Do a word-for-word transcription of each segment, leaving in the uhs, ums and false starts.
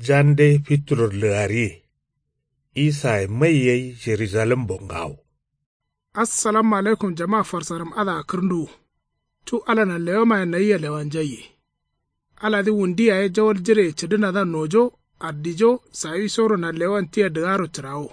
Jande fituror lǝgariye. Isaye mai yai jerujalembo ngawo. Assalamu alaikum jama farsaram adǝa kǝrnduwu. Cu ala nanlewamaye nayia lewanjaiye. Aladǝ wundi yaye jawal jireye cǝdǝnadǝa nojo, addijo, sawisoro nanlewan tia dǝgaro cǝrawo.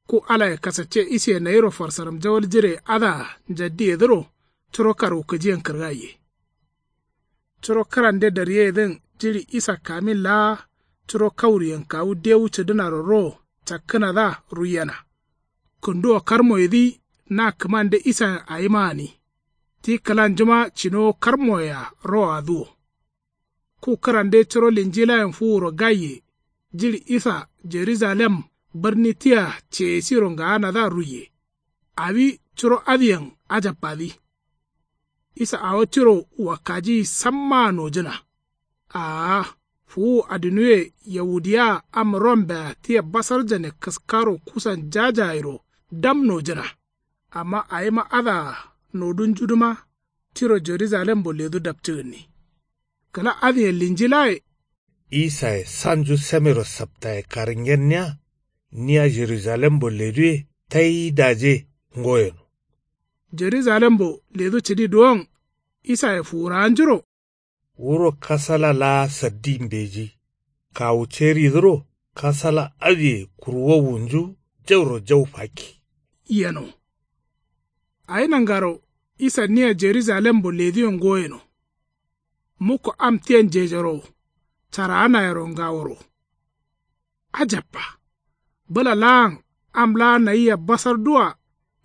Ku alaye kasacce isiye nayiro farsaram jawal jireye adǝa njaddiyedǝro curo karwukǝjiyen kǝrgaiye. Curo kǝrande daryeyedǝn jiɍi isa kamin laa curo kauriyen kawu dewu cǝdǝnaro ro cakkǝnadǝa ruiyena. Kǝnduwo karmoyedǝ na kǝmande isayen awima gǝni. Ti kǝlanjuma cinowo karmoyea roadǝ wo. Ku kǝrande curo linjilayen fuwuro gaiye jiɍi isa jerujalem bǝrni tia ceyesiro ngaanadǝa ruiye. Awi curo adǝyen ajabbadǝ. Isa awo tiro wakkajiyi sammaa nojǝna. Aa fuwu adinuwe yaudiyaa am rombea tia basarjane kǝskaro kusan jajayero dam nojǝna. Amma awima adǝa nodunjudǝma tiro jerujalembo ledu dapcǝgǝnni. Kǝla adǝyen linjilaye. Isaye sanju samero saptaye karǝngenniya. Niya jerujalembo leduwe tai daje ngoyeno. Jerujalembo ledu cǝdi duwon isaye fuwurawanjuro. Wuro kasala laa saddi mbeji. Kawu ceridǝro kasala adǝye kurwowunju jauro jau fakki. Yeno. Awi nangaro isa niya jerujalembo leduyen goyeno. Mukko am tiya njejoro caraanayero ngaworo. Ajabba. Bǝla laan am laa nayia basarduwa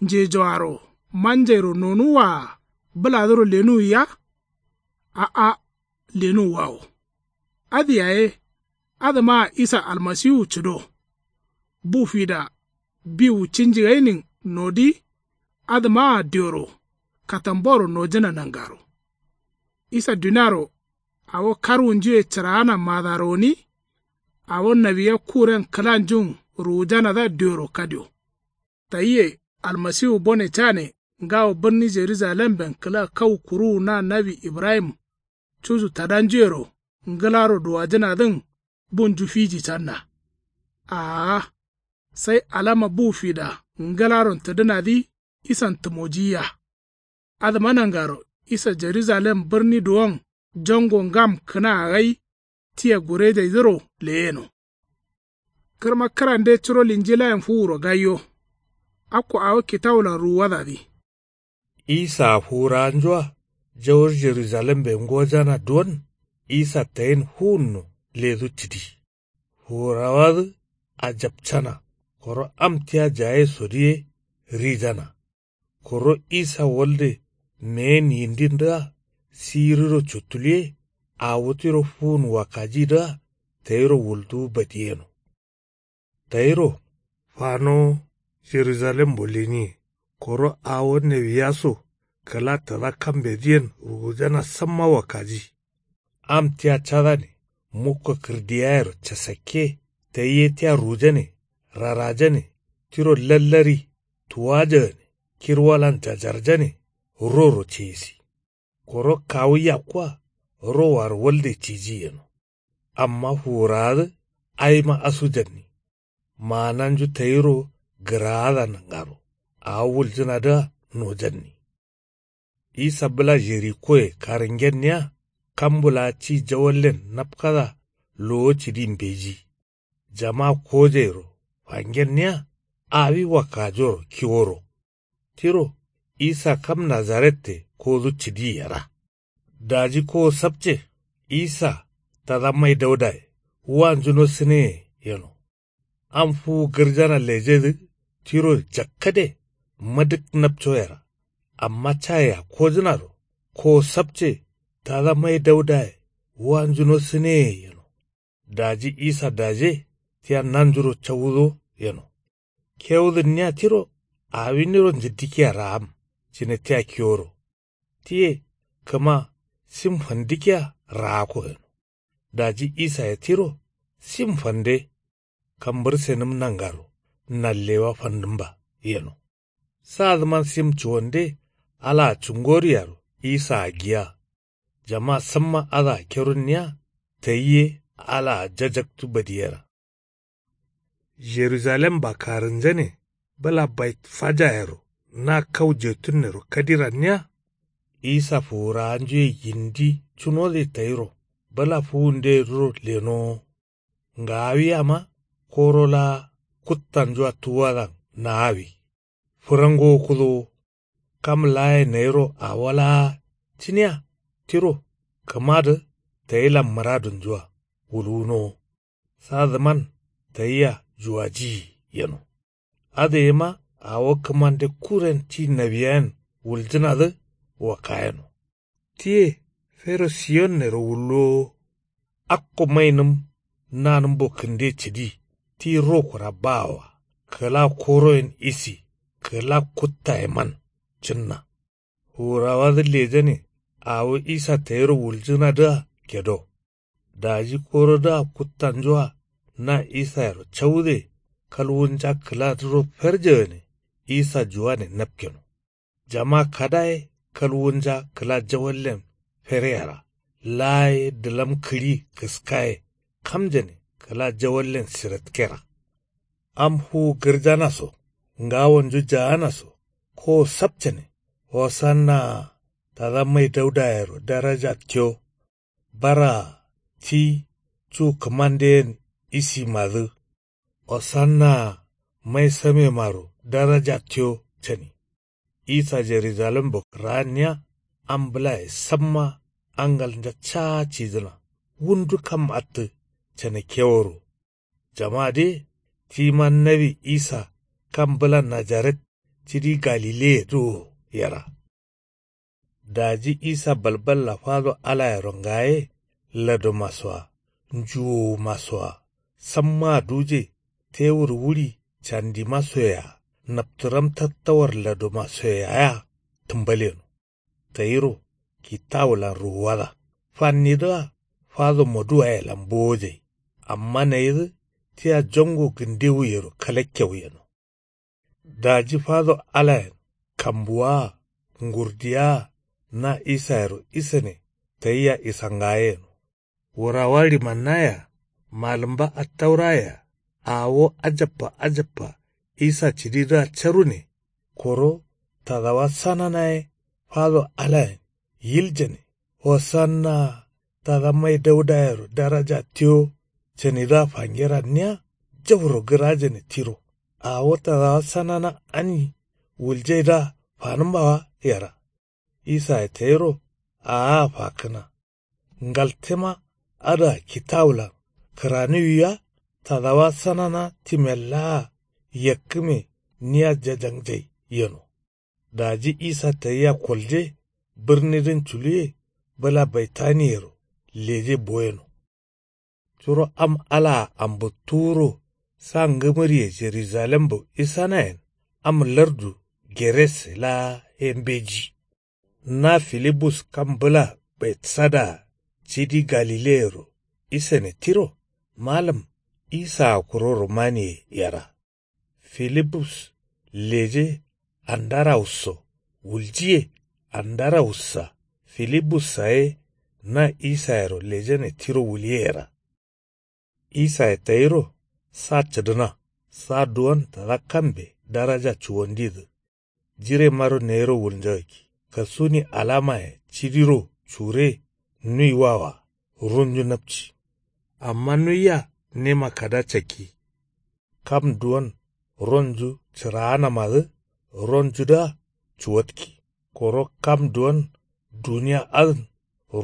njejoaro manjairo nonuwwaa bǝladǝro lenuwiya. A'a lenuwwawo. Adǝ yaye adǝmaa isa almasiwu cǝdo. Bu fida biwu cinji gainin nodi. Adǝmaa dioro katamboro nojǝna nangaro. Isa duniaro awo karwunjuye cǝraana madaro gǝni. Awo nawiya kuren kǝlanjun ruwujanadǝa dioro kadio. Tayie almasiwu bone cane ngawo bǝrni jerujalemben kǝla kau kuruwu na nawi ibrahim cuju tadanjuyero ngǝlaro duwajǝnadǝn bunju fiji canna. Aa sai alama bu fida ngǝlaron tǝdǝnadǝ isan tǝmojiyiya. Adǝma nangaro isa jerujalem bǝrni duwon jango ngam kǝnaa gai tia gurejaidǝro leyeno. Kǝrma kǝrande curo linjilayen fuwuro gaiyo. Akko awo kitawulan ruwuwadadǝ. Isaa fuwurawanjua jawur jerujalembe ngojana duwon isa tayin fuwunno ledu cǝdi. Fuwurawadǝ ajapcana koro am tia jaye sodǝ ye rijana. Koro isa walde meyen yindindǝa siriro cuttuluye awo tiro fuwun wakkajidǝa tayiro wulduwu badiyeno. Tayiro fanowo jerujalembo leniye koro awo nawiya so kǝla tada kambedǝyen ruwujana samma wakkaji. Am tia cadane mukko kǝrdiyayero casakke tayye tia rujane rarajane tiro lallari tuwajagane kirwalan jajarjane roro ceyisi. Koro kawu yakkua rowaro walde ciji yeno. Amma fuwurawadǝ awima asujanni. Maananju tayiro gǝraada nangaro awo wuljǝnadǝa nojanni. Isa bǝla jerikoye karǝngenniya kambu laa ci jawallen napkada lowo cǝdi mbeji. Jama kojairo fangenniya awi wakkajoro kiworo. Tiro isa kam nazarette kodu cǝdi yera. Daji kowo sapce isa tada mai daudaye wanjuno sǝneye yeno. Am fuwu gǝrjana lejedǝ tiro jakkade madǝk napco yera. Amma cayea kojǝnado kowo sapce tada mai daudaye wanjuno sǝneye yeno. Daji isa daje tia nanjuro cawudo yeno. Kewudǝnniya tiro awiniro njǝddikiya raam cǝne tia kiworo. Tiye kǝma sim fandǝkiya raakko yeno. Daji isaye tiro sim fande kambǝrsenǝm nangaro nanlewa fandǝmba yeno. Sadǝman sim cuwande alaa cungoryaro isaa giya. Jama samma adǝa kerunniya tayi ye Alaa jajaktu badiyera. Jerujalemba karǝnjane bǝla baitfajayero na kau jetunnero kadiranniya. Isa fuwurawanjuye yindi cunode tayiro bǝla fuwunde duro lenowo. Ngaawiyama koro laa kuttanjua tuwadan naawi. Fǝrangowo kudowo. Kam laaye nayiro awo laa cǝniya tiro kǝmadǝ tayilan mǝradunjua wulwunowo. Sadǝman tayiya juwajiyi yeno. Adǝ yema awo kǝmande kuren ti nawiyayen wuljǝnadǝ wakayeno. Tiye fero siyonnero wullowo. Akko mainǝm nanǝmbo kǝnde cǝdi ti rokura baawoa kǝla koroyen isi kǝla kuttayeman cǝnna. Fuwurawadǝ lejane awo isa tayiro wuljǝnadǝa gedo. Daji korodǝa kuttanjua na isayero caude kalwunja kǝladǝro ferjegane isa juwane napkeno. Jama kada ye kalwunja kǝla jawallen fereyera laa ye dǝlam kǝɍi kǝska ye kamjane kǝla jawallen siratkera. Am fuwu gǝrjana so ngawonju jaana so kowo sapcane. Hosanna tada mai daudayero daraja tiyo. Baraa ti cu kǝmandeyen isimadǝ. Hosanna mai samemaro daraja tiyo cani. Isa jerujalembo kǝraanniya am bǝlaye samma angalnja caa cidǝna wundu kam attǝ canakkeworo. Jamadǝ ye tima nawi isa kam bǝla najaret cidi galileyedǝ wo yera. Daji isa balballa fado alayero ngaye ladomasoa njuwowumasoa sammaa duje tewur wuri candimasoyea naptǝram tattawar ladomasoyea ya tǝmbaleno. Tayiro kitawulan ruwuwada fannidǝa fado moduwayelan bowojai. Amma nayidǝ tia jongo gǝndewuyero kalakkewu yeno. Daji fado alayen kambuwaa ngurdiyawaa na isayero isane tayia isangayeno. Wurawa ɍimannayea malǝmba attaurayea awo ajabba ajabba isa cǝdidǝa carune. Koro tadawa sanana ye fado alayen yiljane. Hosanna tada mai daudayero daraja tiyo canidǝa fangeranniya jauro gǝrajane tiro. Awo tadawa sanana ani wuljaidǝa fanǝmbawa yera. Isaye tayiro aaa fakkǝna. Ngaltema adǝa kitawulan kǝraniwiya tadawa sanana timellaa yakkǝme niya jajangjai yeno. Daji isa tayia kolje bǝrnidǝn culuwe bǝla baitaniyero leje boyeno. Curo am alaa ambǝttuwuro sa ngǝmǝriye jerujalembo isanayen am lardu gerese laa ye mbeji. Na filibus kam bǝla betsadaa cidi galileyero isane tiro malǝm isaa kuro romaniye yera. Filibus leje andarawusso wuljiye. Andarawussa filibussa ye na isayero lejane tiro wuliyeyera. Isaye tayiro sa cǝdǝna sa duwon tada kambe daraja cuwandidǝ. Jiremaro nayiro wulnjagakki kasuni alamaye cidiro cure nuiwawoa runju napci. Amma nuiya nema kada cakki. Kam duwon ronju cǝraanamadǝ ronjudǝa cuwatki. Koro kam duwon duniya adǝn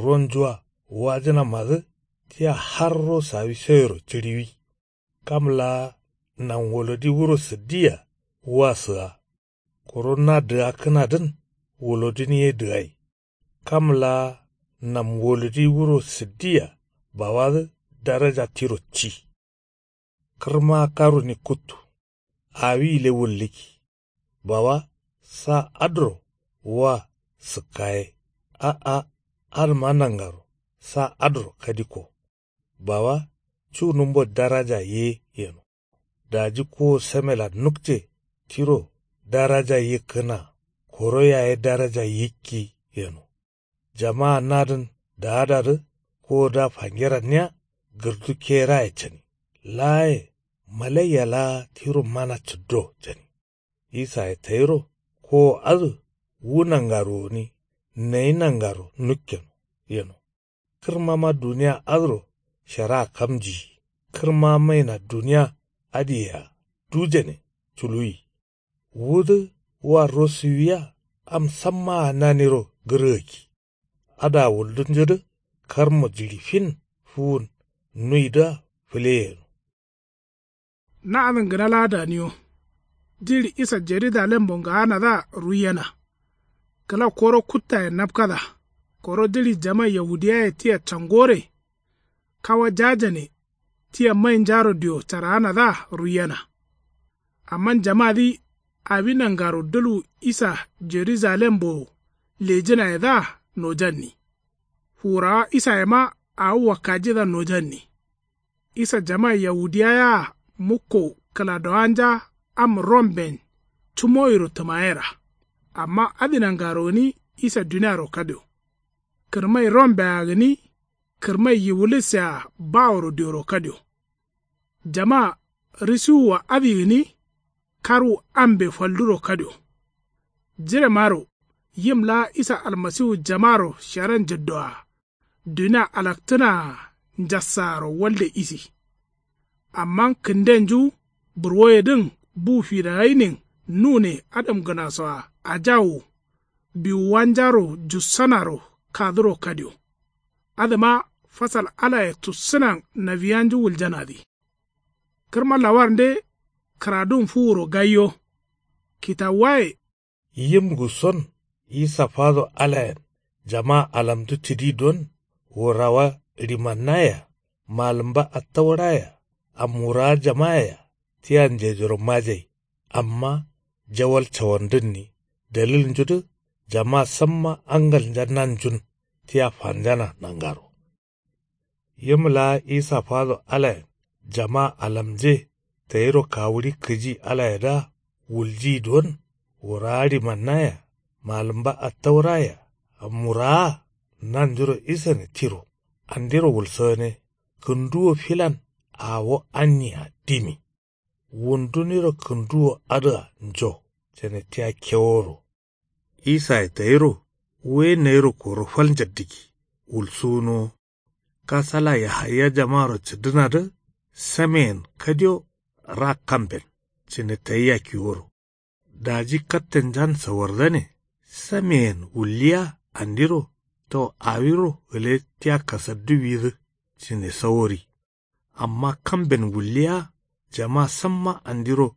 ronjua wajǝnamadǝ tia harro sawisoyero cǝɍiwi. Kam laa namwolodi wuro sǝddiya wa sǝga. Koro na dǝgakkǝnadǝn wolodin ye dǝgai. Kam laa namwolodi wuro sǝddiya bawadǝ daraja tiro ci. Kǝrma karuni kuttu awi gǝle wullǝkki. Bawa sa adǝro wa sǝkkaye. A'a adǝma nangaro sa adǝro kadikko. Bawa cunǝmbo daraja ye yeno. Daji kowo samelan nukce tiro daraja yikkǝna. Koro yaye daraja yikki yeno. Jamaa nadǝn daadadǝ kowodǝa fangeranniya gǝrdu keraye cani. Laaye malaiya laa tiro mana cǝddo cani. Isaye tayiro kowo adǝ wu nangaro gǝni nayi nangaro nukkeno yeno. Kǝrmama duniya adǝro sharaa kamjiyi. Kǝrma maina duniya adǝyea dujane culuwi. Wudǝ wa rosuwiya am sammaa naniro gǝrgakki. Adǝa wuldunjudǝ karmo jiɍi fin fuwun nuwidǝa fǝleyeno. Na adǝn gǝna laa daniyo. Jiɍi isa jerujalembo ngaanadǝa ruiyena. Kǝla koro kuttaye napkada. Koro jiɍi jama yahudiyaye tia cangore. Kawa jajane tia mainjaro dio caraanadǝa ruiyena. Amma jamadǝ awi nangaro dǝlwu isa jerujalembo lejǝnayedǝa nojanni. Fuwurawa isayema awo wakkajidǝa nojanni. Isa jama yahudiyayaa mukko kǝladowanja am romben cumoyiro tǝmayera. Amma adǝ nangaro gǝni isa duniaro kadio. Kǝrmai rombea gǝni kǝrmai yiwulisea baworo dioro kadio. Jama risiwua adǝ gǝni karwu ambe falduro kadio. Jiremaro yim laa isa almasiwu jamaro sharan jǝddoa dunia alaktǝnaa njassaaro walde isi. Amma kǝndenju burwoyedǝn bu fidawainin nune adamgǝnasoa ajawu biwuwanjaro jussanaro kaduro kadio. Adǝma fasal alaye tussǝnan nawiyanju wuljanadǝ. Kǝrma lawarnde kǝradun fuwuro gaiyo. Kitawuwaye. Yim gusson isa fado alayen jama alamdu cǝdi don wurawa ɍimannayea malǝmba attaurayea amwurawa jamayea tia njejoro majai. Amma jawal cawandǝnni dalilnjudǝ jama samma angalnja nanjun tia fanjana nangaro. Yim laa isa fado alayen jama alamje tayiro kawuɍi kǝji alayedǝa wuljiyi don wurawa ɍimannayea malǝmba attaurayea amwurawa nanjuro isane tiro andiro wulsagǝne. Kǝnduwo filan awo anniya dimi. Wunduniro kǝnduwo adǝa njo cane tia keworo. Isaye tayiro wuye nayiro koro fal njaddǝkki wulsuwunowo. Kasala yahaya jamaro cǝddǝnadǝ sameyen kadio ra kamben cǝne tayia kiworo. Daji kattenjan sawardane sameyen wulliya andiro tau awiro gǝle tia kasadduwidǝ cǝne sawori. Amma kamben wulliya jama samma andiro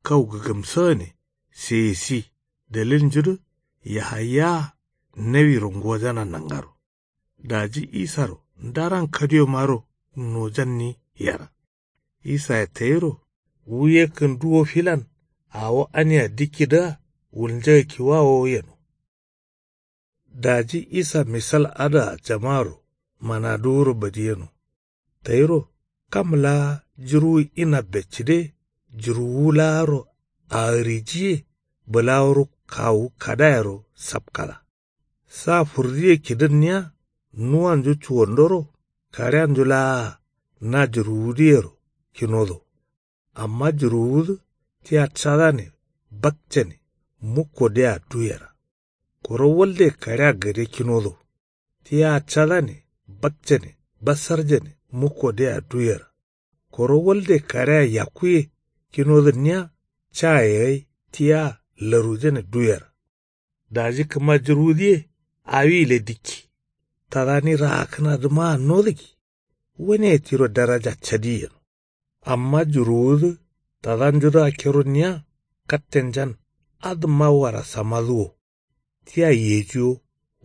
kau gǝgǝmsagǝne seyesi dalilnjudǝ yahayaa nawiro ngojana nangaro. Daji isaro ndaran kadiyomaro nojanni yera. Isaye tayiro wuye kǝnduwo filan awo ania dikkidǝa wulnjagakkiwawo yeno. Daji isa misal adǝa jamaro manaduwuro badiyeno. Tayiro kam laa jǝrwu inabbe cǝde jǝrwuwu laaro aarijiye bǝlaworo kawu kadayero sapkada. Sa furdiye kidǝnniya nuwanju cuwandoro kaɍeanju laa na jǝrwudǝyero kinodo. Amma jǝrwuwudǝ tia cadane bakcane mukkodea duyera. Koro walde kaɍea gade kinodo tia cadane bakcane basarjane mukkodea duyera. Koro walde kaɍea yakkuye kinodǝnniya caye gai tia larujane duyera. Daji kǝma jǝrwudǝye awi gǝle dikki tadani raakkǝnadǝmaa nodǝggi. Wane tiro daraja cadi yeno. Amma jǝrwuwudǝ tadanjudǝa keronniya kattenjan adǝmma warasamadǝ wo. Tia yejiwo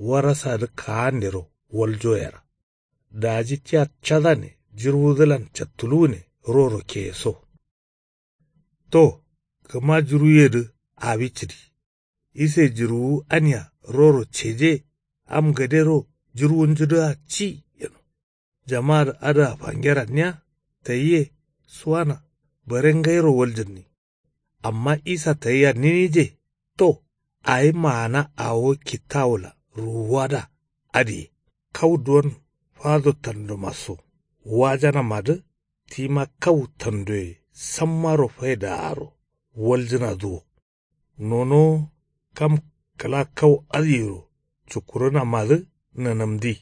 warasadǝ kaandero waljo yera. Daji tia cadane jǝrwudǝlan cattuluwune roro keyeso. To kǝma jǝrwuyedǝ awi cǝdi. Ise jǝrwuwu ania roro ceje am gadero jǝrwunjudǝa ci yeno. Jamadǝ adǝa fangeranniya tayiye suwana bare ngairo waljǝnni. Amma isa tayiya ninije to awi maana awo kittawula ruwuwada adǝye kau duwon fado tandumasso Wajanamadǝ tima kau tandoye sammaro faidaaro waljǝnadǝ wo. Nonowo kam kǝla kau adǝyero cukkurǝnamadǝ nǝnǝmdi.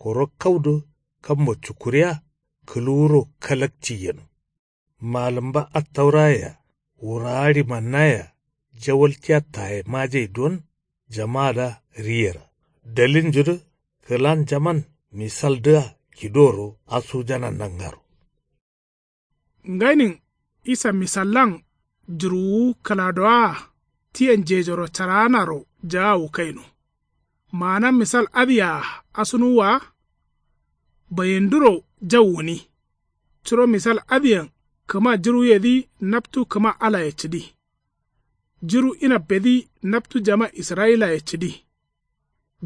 Koro kaudǝ kambo cukkuriya kǝluwuro kalakci yeno. Malǝmba attauraye-a wurawa ɍimannaye-a jawaltiya taye majai duwon jamaada riyera. Dalilnjudǝ kǝlan jaman misaldǝa kidoro asujana nangaro. Ngainin isa misallan jǝruwuwu kǝladowaa tia njejoro caraanaro jaawu kaino. Maana misal adǝyea asunuwwa wa. Bayinduro jau gǝni. Curo misal adǝyen kǝma jǝruwuyedǝ naptu kǝma alaye cǝdi. Jǝru inabbedǝ naptu jama israyilaye cǝdi.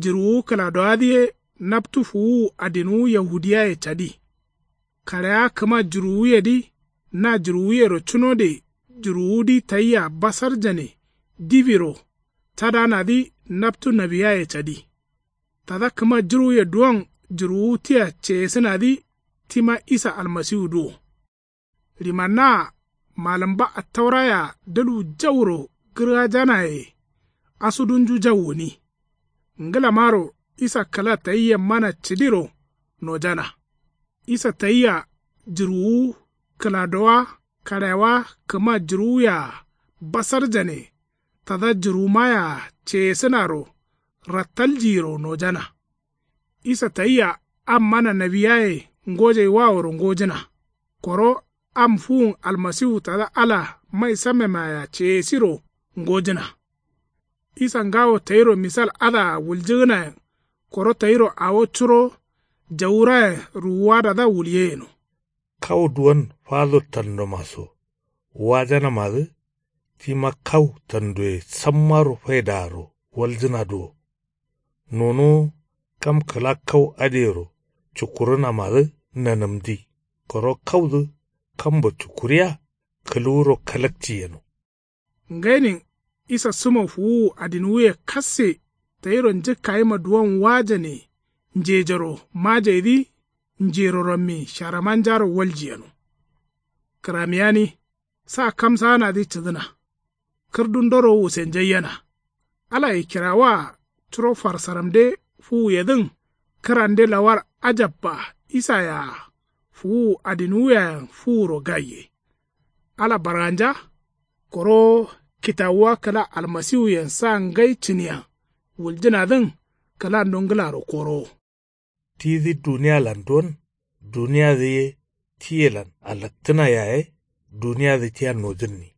Jǝruwuwu kǝladowadǝ ye naptu fuwuwu adinuwu yahudiyaye cadi. Kaɍewa kǝma jǝruwuyedǝ na jǝruwuyero cunode jǝruwudǝ tayia basarjane dibiro cadanadǝ naptu nawiyaye cadi. Tada kǝma jǝruwuye duwon jǝruwuwu tia ceyesǝnadǝ tima isa almasiwudǝ wo. Ɍimannaa malǝmba attaurayea dalwu jauro gǝrgajanaye asudunju jau gǝni. Ngǝlamaro isa kǝla tayia mana cǝdiro nojana. Isa tayia jǝruwuwu kǝladowa kaɍewa kǝma jǝruwuyea basarjane tada jǝruwumayea ceyesǝnaro rattaljiyiro nojana. Isa tayia am mana nawiyaye ngojaiwaworo ngojǝna. Koro am fuwun almasiwu tada ala mai sammemayea ceyesiro ngojǝna. Isa ngawo tayiro misal adǝa wuljǝgǝnayen koro tayiro awo curo jawurayen ruwuwadadǝa wulye yeno. Kau duwon fado tandomaso wajanamadǝ tima kau tandoye sammaro faidaaro waljǝnadǝ wo. Nonowo kam kǝla kau adǝyero cukkurǝnamadǝ nanǝmdi. Koro kaudǝ kambo cukkuriya kǝluwuro kalakci yeno. Ngainin isa sǝmo fuwuwu adinuwuye kasse tayiro njǝkkayima duwon wajane njejoro majaidǝ njero rammi sharamanjaro walji yeno. Kǝramiyani sa kamsaanadǝ cǝdǝna. Kǝrdundoro wusenjaiyena. Alaye kirawaa curo farsaramde fuwuyedǝn kǝrande lawar ajabba isayea fuwuwu adinuwuyeyen fuwuro gaiye. Ala barganja koro kitawuwa kǝla almasiwuyen sa ngai cǝniyen wuljǝnadǝn kǝlando ngǝlaro korowo. Tidǝ duniyalan duwon duniyadǝ ye tiyelan alaktǝna yaye duniyadǝ tia nojǝnni.